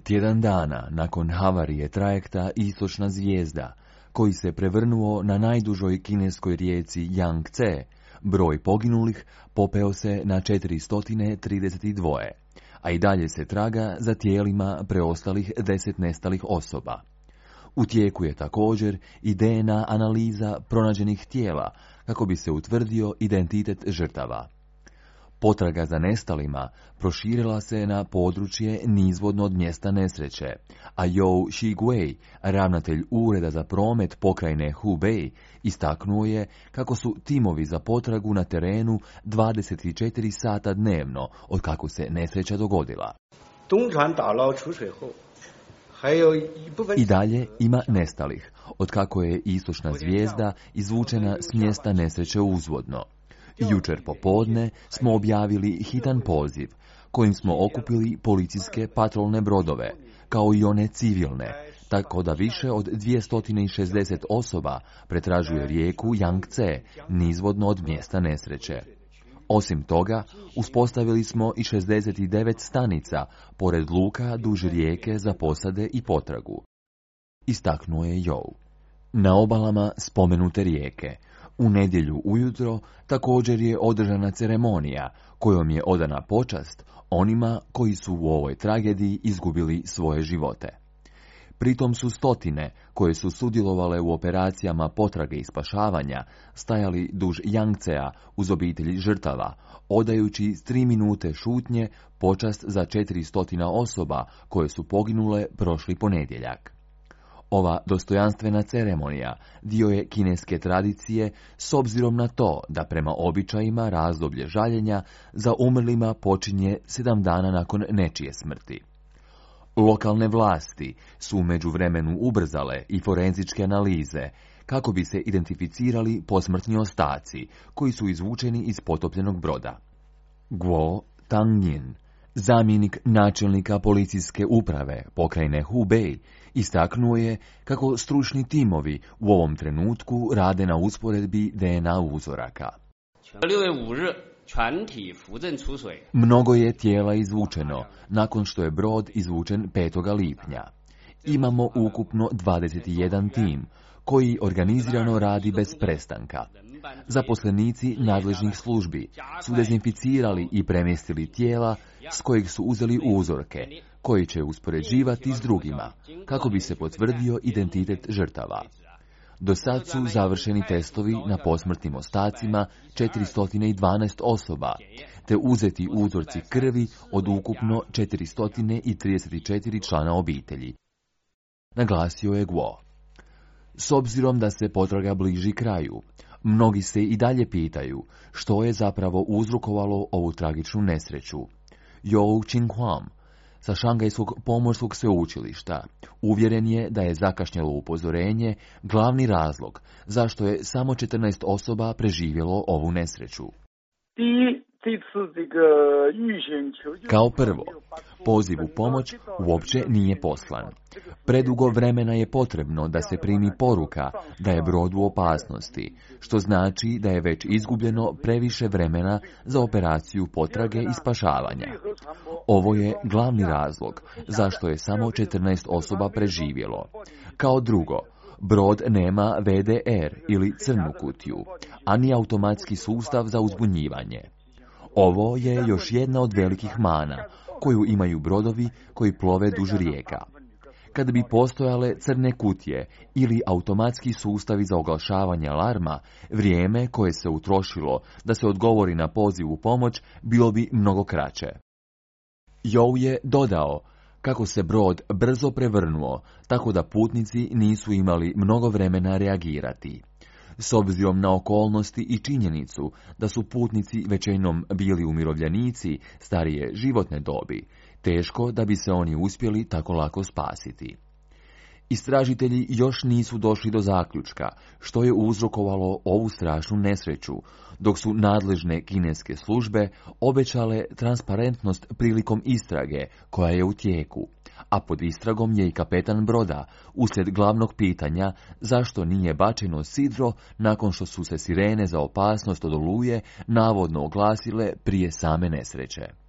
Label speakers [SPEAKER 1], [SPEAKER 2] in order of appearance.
[SPEAKER 1] Tjedan dana nakon havarije trajekta Istočna zvijezda, koji se prevrnuo na najdužoj kineskoj rijeci Jangtze, broj poginulih popeo se na 432, a i dalje se traga za tijelima preostalih 10 nestalih osoba. U tijeku je također i DNA analiza pronađenih tijela kako bi se utvrdio identitet žrtava. Potraga za nestalima proširila se na područje nizvodno od mjesta nesreće, a Jou Shiguei, ravnatelj Ureda za promet pokrajine Hubei, istaknuo je kako su timovi za potragu na terenu 24 sata dnevno od kako se nesreća dogodila. I dalje ima nestalih, od kako je Istočna zvijezda izvučena s mjesta nesreće uzvodno. Jučer popodne smo objavili hitan poziv, kojim smo okupili policijske patrolne brodove, kao i one civilne, tako da više od 260 osoba pretražuje rijeku Jangtze, nizvodno od mjesta nesreće. Osim toga, uspostavili smo i 69 stanica pored luka duž rijeke za posade i potragu. Istaknuo je Jou. Na obalama spomenute rijeke, u nedjelju ujutro također je održana ceremonija kojom je odana počast onima koji su u ovoj tragediji izgubili svoje živote. Pritom su stotine koje su sudjelovale u operacijama potrage i spašavanja stajali duž Jangtsea uz obitelji žrtava, odajući 3 minute šutnje počast za 400 osoba koje su poginule prošli ponedjeljak. Ova dostojanstvena ceremonija dio je kineske tradicije s obzirom na to da prema običajima razdoblje žaljenja za umrlima počinje 7 dana nakon nečije smrti. Lokalne vlasti su u međuvremenu ubrzale i forenzičke analize kako bi se identificirali posmrtni ostaci koji su izvučeni iz potopljenog broda. Guo Tangnyin, zamjenik načelnika policijske uprave pokrajine Hubei, istaknuo je kako stručni timovi u ovom trenutku rade na usporedbi DNA uzoraka. Mnogo je tijela izvučeno nakon što je brod izvučen 5. lipnja. Imamo ukupno 21 tim koji organizirano radi bez prestanka. Zaposlenici nadležnih službi su dezinficirali i premjestili tijela s kojih su uzeli uzorke, koji će uspoređivati s drugima, kako bi se potvrdio identitet žrtava. Do sad su završeni testovi na posmrtnim ostacima 412 osoba, te uzeti uzorci krvi od ukupno 434 člana obitelji. Naglasio je Guo. S obzirom da se potraga bliži kraju, mnogi se i dalje pitaju što je zapravo uzrokovalo ovu tragičnu nesreću. Jou Qinghuang sa Šangajskog pomorskog sveučilišta uvjeren je da je zakašnjelo upozorenje glavni razlog zašto je samo 14 osoba preživjelo ovu nesreću. Kao prvo, poziv u pomoć uopće nije poslan. Predugo vremena je potrebno da se primi poruka da je brod u opasnosti, što znači da je već izgubljeno previše vremena za operaciju potrage i spašavanja. Ovo je glavni razlog zašto je samo 14 osoba preživjelo. Kao drugo, brod nema VDR ili crnu kutiju, a ni automatski sustav za uzbunjivanje. Ovo je još jedna od velikih mana koju imaju brodovi koji plove duž rijeka. Kada bi postojale crne kutije ili automatski sustavi za oglašavanje alarma, vrijeme koje se utrošilo da se odgovori na poziv u pomoć bilo bi mnogo kraće. Jou je dodao kako se brod brzo prevrnuo, tako da putnici nisu imali mnogo vremena reagirati. S obzirom na okolnosti i činjenicu da su putnici većinom bili umirovljenici starije životne dobi, teško da bi se oni uspjeli tako lako spasiti. Istražitelji još nisu došli do zaključka što je uzrokovalo ovu strašnu nesreću, dok su nadležne kineske službe obećale transparentnost prilikom istrage koja je u tijeku, a pod istragom je i kapetan broda uslijed glavnog pitanja zašto nije bačeno sidro nakon što su se sirene za opasnost od oluje navodno oglasile prije same nesreće.